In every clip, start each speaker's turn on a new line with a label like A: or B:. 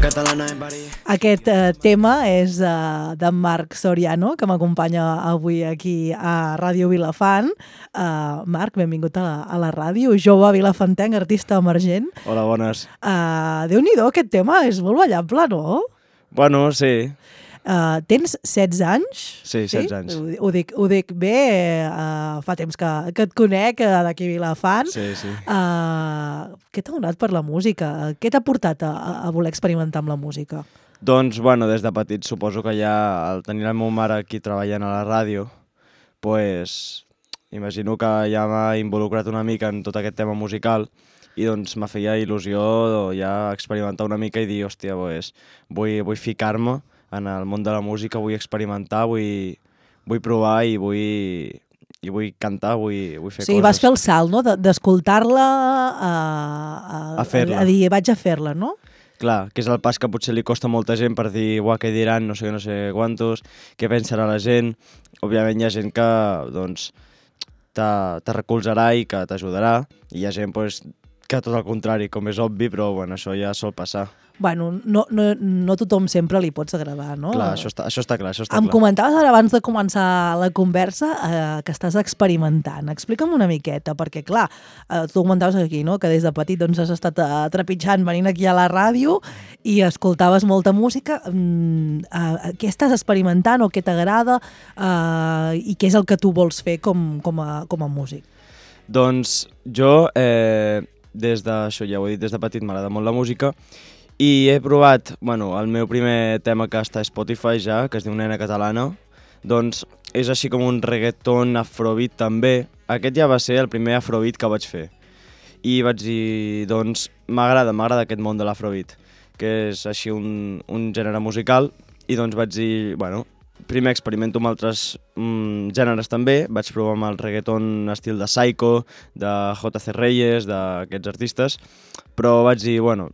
A: Aquest tema és d'en Marc Soriano, que m'acompanya avui aquí a Ràdio Vilafant. Marc, benvingut a la ràdio, jove vilafantenc, artista emergent.
B: Hola, bones.
A: Déu-n'hi-do, aquest tema és molt ballable, no?
B: Bueno, sí.
A: Tens 16 anys?
B: Sí, 16 anys.
A: Ho dic bé, fa temps que et conec d'aquí a Vilafant.
B: Sí, sí.
A: Què t'ha donat per la música? Què t'ha portat a voler experimentar amb la música?
B: Doncs, bueno, des de petit suposo que ja al tenir la meva mare aquí treballant a la ràdio, pues, imagino que ja m'ha involucrat una mica en tot aquest tema musical i doncs me feia il·lusió ja experimentar una mica i dir, hòstia, pues, vull ficar-me en el món de la música, vull experimentar, vull provar i vull cantar, vull fer coses.
A: Sí, vas fer el salt, no?, d'escoltar-la
B: a fer-la.
A: A dir, vaig a fer-la, no?
B: Clar, que és el pas que potser li costa a molta gent per dir, uah, què diran, no sé quantos, què pensarà la gent. Òbviament hi ha gent que, doncs, te recolzarà i que t'ajudarà, i hi ha gent, pues, que tot el contrari, com és obvi, però, bueno, això ja sol passar.
A: Bueno, no tothom sempre li pots agradar, no?
B: Clar, això està clar,
A: Em comentaves ara abans de començar la conversa que estàs experimentant. Explica'm una miqueta, perquè clar, tu comentaves aquí, no?, que des de petit doncs, has estat trepitjant, venint aquí a la ràdio i escoltaves molta música. Què estàs experimentant o què t'agrada i què és el que tu vols fer com a músic?
B: Doncs jo, això ja ho he dit, des de petit m'agrada molt la música i he provat, bueno, el meu primer tema que està a Spotify ja, que es diu Nena Catalana, doncs és així com un reggaeton afrobeat també. Aquest ja va ser el primer afrobeat que vaig fer. I vaig dir, doncs, m'agrada aquest món de l'afrobeat, que és així un gènere musical, i doncs vaig dir, bueno, primer experimento amb altres gèneres també, vaig provar amb el reggaeton estil de Psycho, de JC Reyes, d'aquests artistes, però vaig dir, bueno,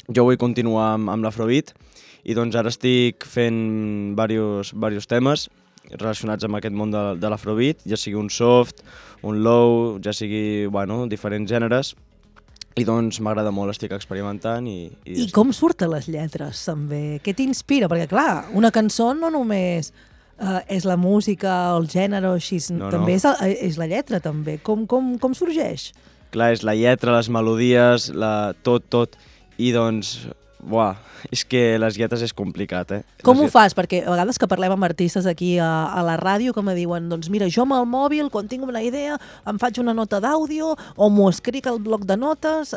B: jo vull continuar amb l'afrobeat i doncs ara estic fent diversos temes relacionats amb aquest món de l'afrobeat, ja sigui un soft, un low, ja sigui, bueno, diferents gèneres, i doncs m'agrada molt, estic experimentant I
A: com surten les lletres també? Què t'inspira? Perquè clar, una cançó no només és la música o el gènere o així, també és la lletra també. Com sorgeix?
B: Clar, és la lletra, les melodies, tot. I doncs, és que les lletres és complicat,
A: Com ho fas? Perquè a vegades que parlem amb artistes aquí a la ràdio que me diuen, doncs mira, jo amb el mòbil, quan tinc una idea, em faig una nota d'àudio, o m'ho escric al bloc de notes,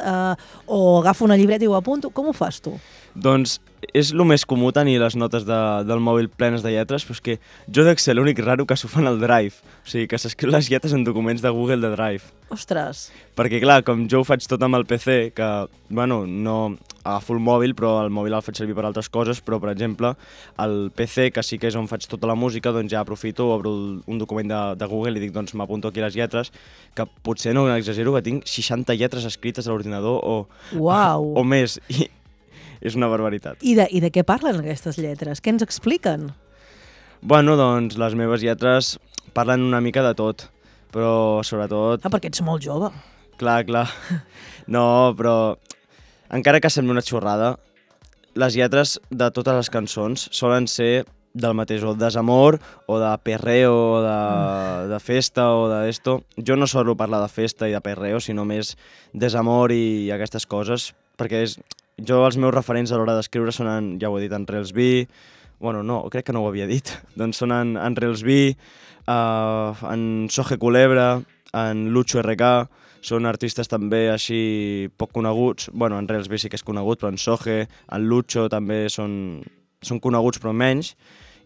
A: o agafo una llibreta i ho apunto. Com ho fas tu?
B: Doncs és el més comú tenir les notes del mòbil plenes de lletres, però és que jo dec ser l'únic raro que s'ho fa en el Drive. O sigui, que s'escriu les lletres en documents de Google de Drive.
A: Ostres!
B: Perquè clar, com jo ho faig tot amb el PC, que, bueno, no agafo el mòbil, però el mòbil el faig servir per altres coses, però, per exemple, el PC, que sí que és on faig tota la música, doncs ja aprofito, obro un document de Google i dic, doncs m'apunto aquí les lletres, que potser no exagero, que tinc 60 lletres escrites a l'ordinador o més, i és una barbaritat.
A: I de què parlen aquestes lletres? Què ens expliquen?
B: Bueno, doncs les meves lletres parlen una mica de tot, però sobretot...
A: perquè ets molt jove.
B: Clar. No, però encara que sembli una xorrada, les lletres de totes les cançons solen ser del mateix, o desamor, o de perreo, o de festa, o d'esto. Jo no solo parlar de festa i de perreo, sinó més desamor i aquestes coses, perquè els meus referents a l'hora d'escriure són, ja ho he dit, en Reels B, bueno, no, crec que no ho havia dit, doncs són en Reels B, en Soje Culebra, en Lucho RK, són artistes també així poc coneguts, bueno, en Reels B sí que és conegut, però en Soje, en Lucho també són coneguts però menys,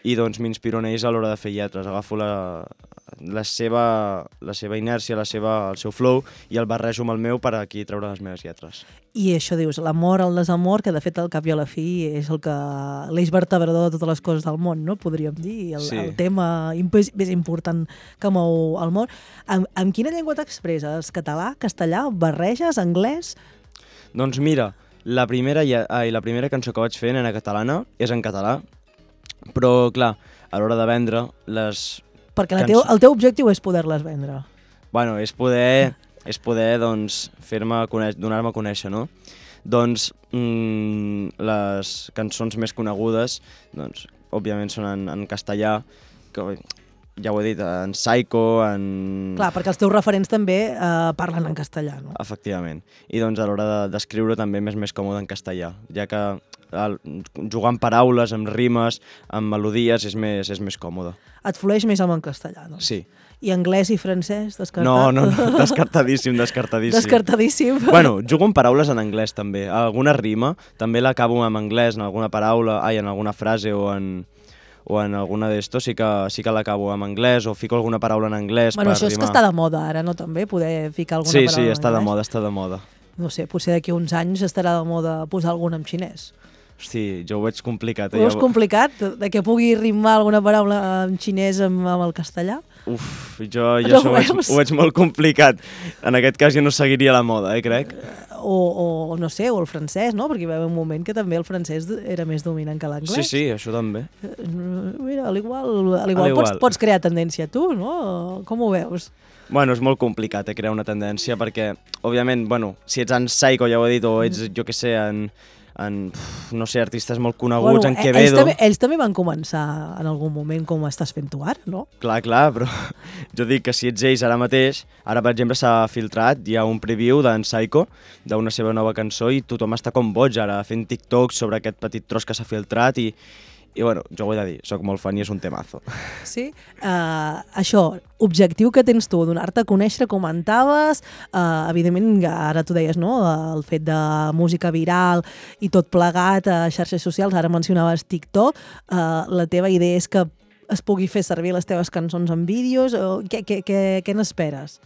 B: i doncs m'inspiro en ells a l'hora de fer lletres, agafo la seva inèrcia, el seu flow, i el barrejo amb el meu per aquí treure les meves lletres.
A: I això dius, l'amor, el desamor, que de fet al cap i a la fi és l'eix vertebrador de totes les coses del món, no? Podríem dir, el tema més important que mou el món. Amb quina llengua t'expresses? Català, castellà, barreges, anglès?
B: Doncs mira, la primera cançó que vaig fer, Nena Catalana, és en català, però clar, a l'hora de vendre
A: perquè el teu objectiu és poder-les vendre.
B: Bueno, és poder doncs, donar-me a conèixer, no? doncs les cançons més conegudes, doncs, òbviament són en castellà, que ja ho he dit, en Psycho, en...
A: Clar, perquè els teus referents també parlen en castellà, no?
B: Efectivament. I doncs a l'hora d'escriure també m'és més còmode en castellà, ja que jugar amb paraules, amb rimes, amb melodies és més còmode.
A: Et flueix més amb en castellà, doncs?
B: Sí.
A: I anglès i francès, descartat?
B: No, descartadíssim.
A: Descartadíssim.
B: Bueno, jugo amb paraules en anglès també. Alguna rima també l'acabo en anglès, en alguna paraula, en alguna frase o en alguna d'estos sí que l'acabo en anglès o fico alguna paraula en anglès per rimar.
A: Això és que està de moda ara, no, també? Poder ficar alguna paraula en anglès?
B: Sí, està de moda.
A: No sé, potser d'aquí uns anys estarà de moda posar alguna en xinès.
B: Hosti, jo ho veig complicat.
A: Ho veus complicat? De que pugui rimar alguna paraula en xinès amb el castellà?
B: Uf, jo això ho veig molt complicat. En aquest cas jo no seguiria la moda, crec.
A: O no sé, o el francès, no? Perquè hi va haver un moment que també el francès era més dominant que l'anglès.
B: Sí, això també.
A: Mira, al igual pots crear tendència tu, no? Com ho veus?
B: Bueno, és molt complicat crear una tendència perquè, òbviament, si ets en Psycho, ja ho he dit, o ets, jo què sé, no sé, artistes molt coneguts, en Quevedo...
A: Ells també van començar en algun moment com estàs fent tu ara, no?
B: Clar, però jo dic que si ets ells ara mateix, ara per exemple s'ha filtrat, hi ha un preview d'en Psycho, d'una seva nova cançó, i tothom està com boig ara fent TikToks sobre aquest petit tros que s'ha filtrat i bueno, jo ho he de dir, soc molt fan i és un temazo.
A: Sí? Això, objectiu que tens tu, donar-te a conèixer, comentaves, evidentment, ara tu deies, no?, el fet de música viral i tot plegat a xarxes socials, ara mencionaves TikTok, la teva idea és que es pugui fer servir les teves cançons en vídeos, què n'esperes?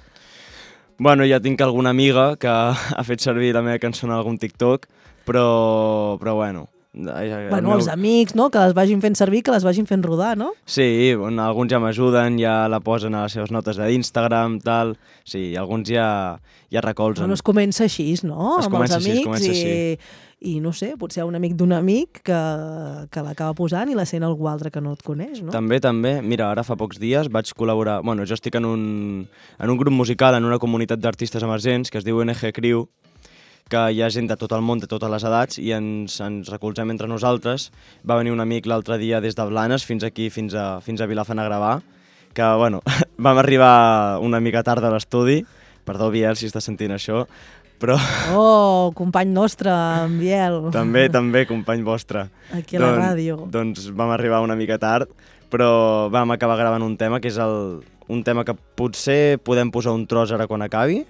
B: Bueno, ja tinc alguna amiga que ha fet servir la meva cançó en algun TikTok, però bueno...
A: Els amics, no?, que les vagin fent servir, que les vagin fent rodar, no?
B: Sí, alguns ja m'ajuden, ja la posen a les seves notes d'Instagram, tal... Sí, alguns ja recolzen.
A: Bueno, es comença així, no?, amb els amics
B: així.
A: I no sé, potser hi ha un amic d'un amic que l'acaba posant i la sent algú altre que no et coneix, no?
B: També. Mira, ara fa pocs dies vaig col·laborar... Bueno, jo estic en un grup musical, en una comunitat d'artistes emergents que es diu NG Crew, que hi ha gent de tot el món, de totes les edats, i ens recolzem entre nosaltres. Va venir un amic l'altre dia des de Blanes fins aquí, fins a Vilafant a gravar, que, bueno, vam arribar una mica tard a l'estudi. Perdó, Biel, si estàs sentint això, però...
A: Oh, company nostre, en Biel.
B: També, company vostre.
A: Aquí a la ràdio.
B: Doncs vam arribar una mica tard, però vam acabar gravant un tema, que és un tema que potser podem posar un tros ara quan acabi.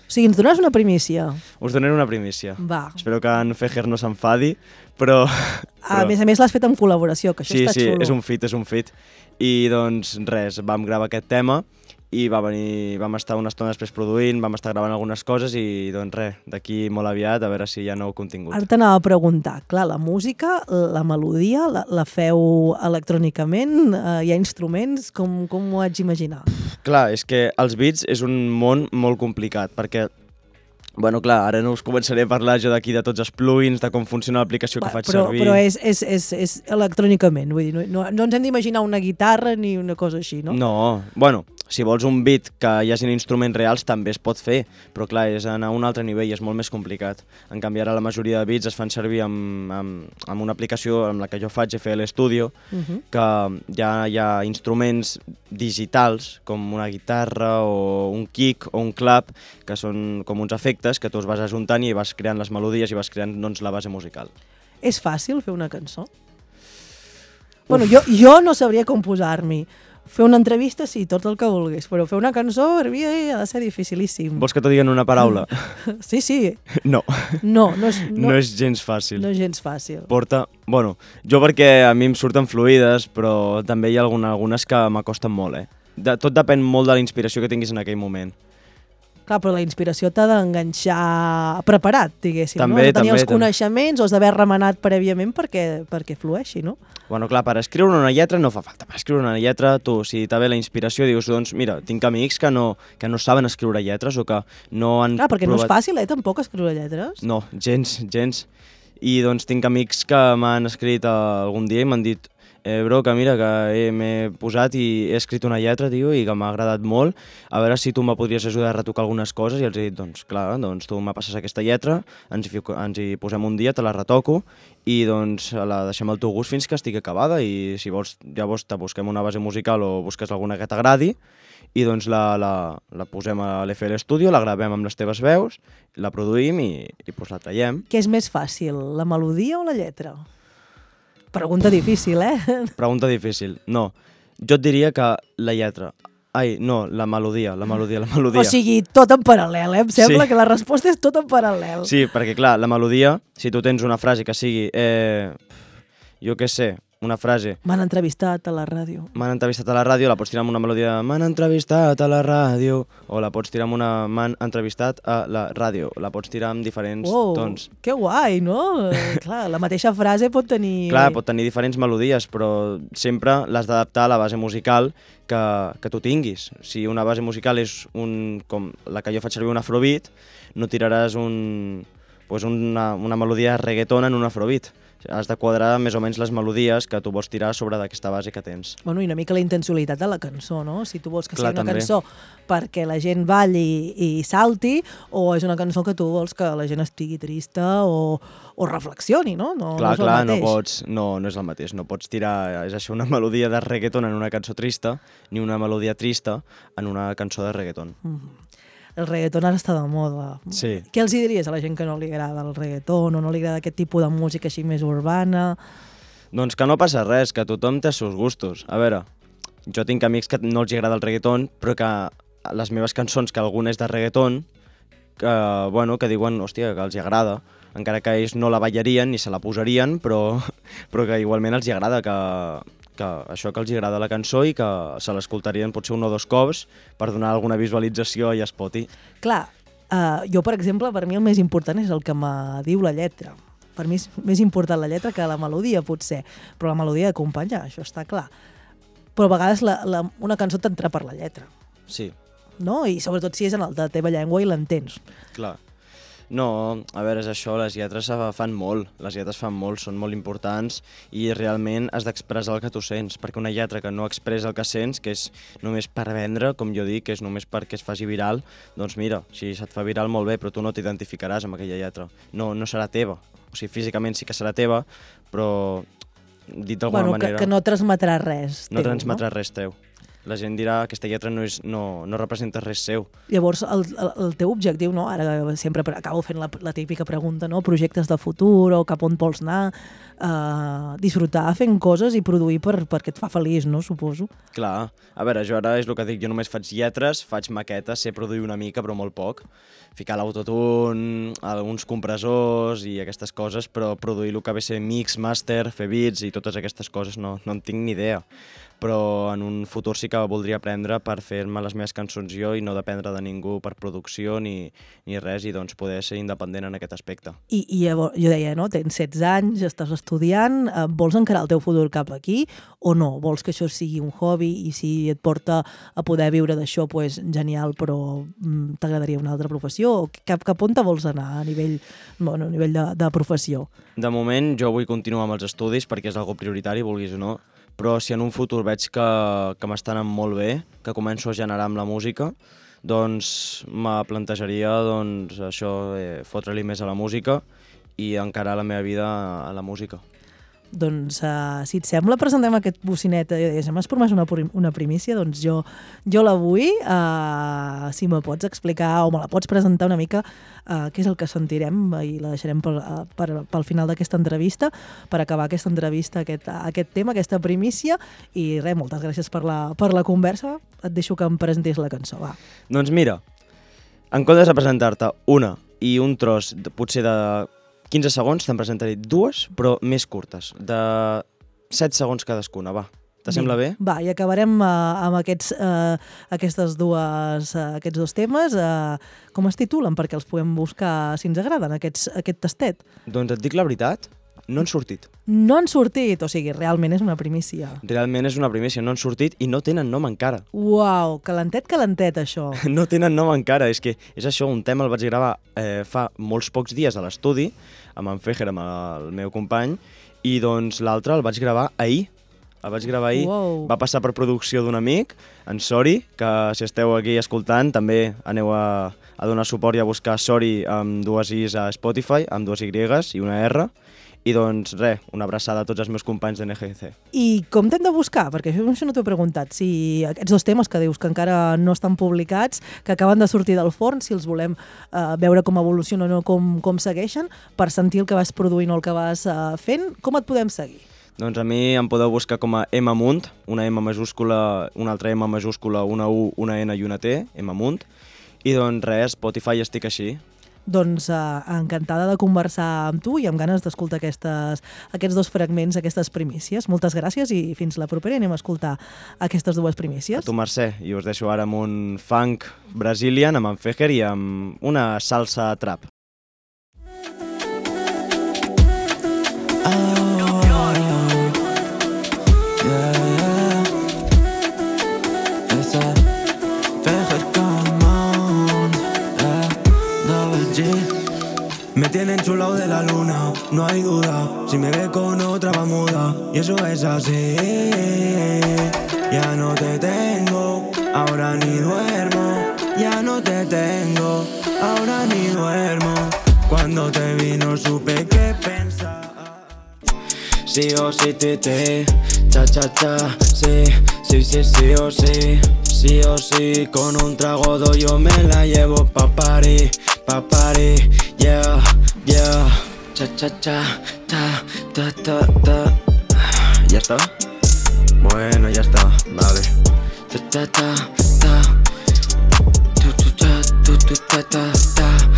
A: O sigui, ens dones una primícia.
B: Us donaré una primícia.
A: Va.
B: Espero que en Fejer no s'enfadi, però...
A: A més l'has fet en col·laboració, que això està xulo.
B: Sí, és un feat. I doncs res, vam gravar aquest tema i vam estar una estona després produint, vam estar gravant algunes coses i doncs res, d'aquí molt aviat a veure si hi ha nou contingut.
A: Ara t'anava a preguntar, clar, la música, la melodia, la feu electrònicament? Hi ha instruments? Com ho haig d'imaginar?
B: Clar, és que els beats és un món molt complicat, perquè bueno, clar, ara no us començaré a parlar jo d'aquí de tots els plugins, de com funciona l'aplicació que faig servir.
A: Però és electrònicament, vull dir, no ens hem d'imaginar una guitarra ni una cosa així, no?
B: No, bueno, si vols un beat que hi hagi instruments reals també es pot fer, però clar, és anar a un altre nivell, és molt més complicat. En canvi, ara la majoria de beats es fan servir amb una aplicació amb la que jo faig, FL Studio, que ja hi ha instruments digitals, com una guitarra o un kick o un clap, que són com uns efectes que tu els vas ajuntant i vas creant les melodies i vas creant doncs, la base musical.
A: És fàcil fer una cançó? Bueno, jo no sabria com posar-m'hi. Fer una entrevista, sí, tot el que vulguis, però fer una cançó per mi ha de ser dificilíssim.
B: Vols que t'ho diguen una paraula?
A: Sí.
B: No.
A: No
B: és gens fàcil.
A: No és gens fàcil.
B: Bueno, jo perquè a mi em surten fluides, però també hi ha algunes que m'acosten molt, Tot depèn molt de la inspiració que tinguis en aquell moment.
A: Clar, però la inspiració t'ha d'enganxar preparat, diguéssim,
B: també,
A: no? Has de tenir els
B: també.
A: Coneixements o has d'haver remenat prèviament perquè flueixi, no?
B: Bueno, clar, per escriure una lletra no fa falta. Per escriure una lletra, tu, si t'ha ve la inspiració, dius, doncs, mira, tinc amics que no saben escriure lletres o que no han
A: Clar, perquè
B: provat...
A: no és fàcil, tampoc, escriure lletres.
B: No, gens. I doncs tinc amics que m'han escrit algun dia i m'han dit bro, que mira, que m'he posat i he escrit una lletra, tio, i que m'ha agradat molt, a veure si tu me podries ajudar a retocar algunes coses, i els he dit, doncs clar, doncs tu me passes aquesta lletra, ens hi posem un dia, te la retoco, i doncs la deixem al teu gust fins que estigui acabada, i si vols, llavors te busquem una base musical o busques alguna que t'agradi, i doncs la posem a l'FL Studio, la gravem amb les teves veus, la produïm i doncs la traiem.
A: Què és més fàcil, la melodia o la lletra? Pregunta difícil,
B: Pregunta difícil. No, jo et diria que la lletra. Ai, no, la melodia.
A: O sigui, tot en paral·lel, Em sembla que la resposta és tot en paral·lel.
B: Sí, perquè clar, la melodia, si tu tens una frase que sigui, jo què sé, una frase...
A: M'han entrevistat a la ràdio.
B: M'han entrevistat a la ràdio, la pots tirar amb una melodia m'han entrevistat a la ràdio, o la pots tirar amb una m'han entrevistat a la ràdio, la pots tirar amb diferents tons.
A: Que guai, no? Clar, la mateixa frase pot tenir...
B: Clar, pot tenir diferents melodies, però sempre l'has d'adaptar a la base musical que tu tinguis. Si una base musical és com la que jo faig servir un afrobeat, no tiraràs una melodia reggaeton en un afrobeat. Has de quadrar més o menys les melodies que tu vols tirar sobre d'aquesta base que tens.
A: Bueno, i una mica la intencionalitat de la cançó, no? Si tu vols que sigui una
B: també.
A: cançó perquè la gent balli i salti, o és una cançó que tu vols que la gent estigui trista o reflexioni, no? No és el mateix.
B: No és el mateix. No pots tirar, és això, una melodia de reggaeton en una cançó trista, ni una melodia trista en una cançó de reggaeton.
A: El reggaeton ara està de moda.
B: Sí.
A: Què els diries a la gent que no li agrada el reggaeton o no li agrada aquest tipus de música així més urbana?
B: Doncs que no passa res, que tothom té els seus gustos. A veure, jo tinc amics que no els agrada el reggaeton, però que les meves cançons, que alguna és de reggaeton, que diuen, hòstia, que els agrada, encara que ells no la ballarien ni se la posarien, però que igualment els agrada, que això que els agrada la cançó i que se l'escoltarien potser un o dos cops per donar alguna visualització a Spotify.
A: Clar, jo, per exemple, per mi el més important és el que me diu la lletra. Per mi és més important la lletra que la melodia, potser, però la melodia acompanya, això està clar. Però a vegades una cançó t'entra per la lletra.
B: Sí.
A: No? I sobretot si és en la teva llengua i l'entens.
B: Clar. No, a veure, és això, les lletres fan molt, són molt importants i realment has d'expressar el que tu sents, perquè una lletra que no expressa el que sents, que és només per vendre, com jo dic, que és només perquè es faci viral, doncs mira, si se't fa viral molt bé, però tu no t'identificaràs amb aquella lletra, no serà teva, o sigui, físicament sí que serà teva, però dit d'alguna manera...
A: Que no transmetrà res teu,
B: no transmetrà res teu. La gent dirà que aquesta lletra no representa res seu.
A: Llavors, el teu objectiu, no? Ara sempre acabo fent la típica pregunta, no? Projectes de futur o cap on vols anar, disfrutar fent coses i produir perquè et fa feliç, no? Suposo.
B: Clar. A veure, jo ara és el que dic, jo només faig lletres, faig maquetes, sé produir una mica, però molt poc. Ficar l'autotune, alguns compressors i aquestes coses, però produir el que ve a ser mix, master, fer beats i totes aquestes coses no en tinc ni idea. Però en un futur sí que voldria aprendre per fer-me les meves cançons jo i no dependre de ningú per producció ni res, i doncs poder ser independent en aquest aspecte.
A: I llavors, jo deia, no? Tens 16 anys, estàs estudiant, vols encarar el teu futur cap aquí o no? Vols que això sigui un hobby i si et porta a poder viure d'això, pues, genial, però t'agradaria una altra professió? Cap on te vols anar a nivell de professió?
B: De moment jo vull continuar amb els estudis perquè és algo prioritari, vulguis o no, però si en un futur veig que m'estan anant molt bé, que començo a generar amb la música, doncs me plantejaria això, fotre-li més a la música i encarar la meva vida a la música.
A: Doncs, si et sembla, presentem aquest bocinet. M'has promès una primícia, doncs jo la vull. Si me pots explicar o me la pots presentar una mica què és el que sentirem i la deixarem pel final d'aquesta entrevista, per acabar aquesta entrevista, aquest tema, aquesta primícia. I res, moltes gràcies per la conversa. Et deixo que em presentis la cançó, va.
B: Doncs mira, en comptes de presentar-te una i un tros potser de 15 segons, te'n presentaré dues, però més curtes, de 7 segons cadascuna, va. Te sembla bé?
A: Va, i acabarem amb aquests dos temes. Com es titulen? Perquè els podem buscar, si ens agraden, aquest tastet.
B: Doncs et dic la veritat, no han sortit.
A: No han sortit, o sigui, realment és una primícia.
B: Realment és una primícia, no han sortit i no tenen nom encara.
A: Uau, calentet, això.
B: No tenen nom encara, és que és això, un tema el vaig gravar fa molts pocs dies a l'estudi, amb en Fejer, amb el meu company, i doncs l'altre el vaig gravar ahir. el vaig gravar ahir.
A: Wow.
B: Va passar per producció d'un amic, en Sori, que si esteu aquí escoltant també aneu a donar suport i a buscar Sori amb 2 Is a Spotify, amb 2 Y i una R. I doncs res, una abraçada a tots els meus companys de NGC.
A: I com t'hem de buscar? Perquè això no t'ho he preguntat. Si aquests 2 temes que dius que encara no estan publicats, que acaben de sortir del forn, si els volem veure com evolucionen o com segueixen, per sentir el que vas produint o el que vas fent, com et podem seguir?
B: Doncs a mi em podeu buscar com a M Munt, una M majúscula, una altra M majúscula, una U, una N i una T, M Munt. I doncs res, Spotify estic així.
A: Doncs encantada de conversar amb tu i amb ganes d'escoltar aquests 2 fragments, aquestes primícies. Moltes gràcies i fins la propera. Anem a escoltar aquestes 2 primícies.
B: A tu, Mercè, i us deixo ara amb un funk brazilian, amb en Fejer i amb una salsa trap.
C: Me tienen chulao de la luna, no hay duda. Si me ve con otra va muda, y eso es así. Ya no te tengo, ahora ni duermo. Ya no te tengo, ahora ni duermo. Cuando te vi no supe qué pensar. Sí o sí, tete, cha cha cha. Sí, sí, sí, sí o sí. Sí o sí, con un trago yo me la llevo pa' party, yeah, yeah. Cha cha cha, ta, ta, ta, ta. ¿Ya está? Bueno, ya está, vale. Ta ta ta ta. Tu tu ta ta ta.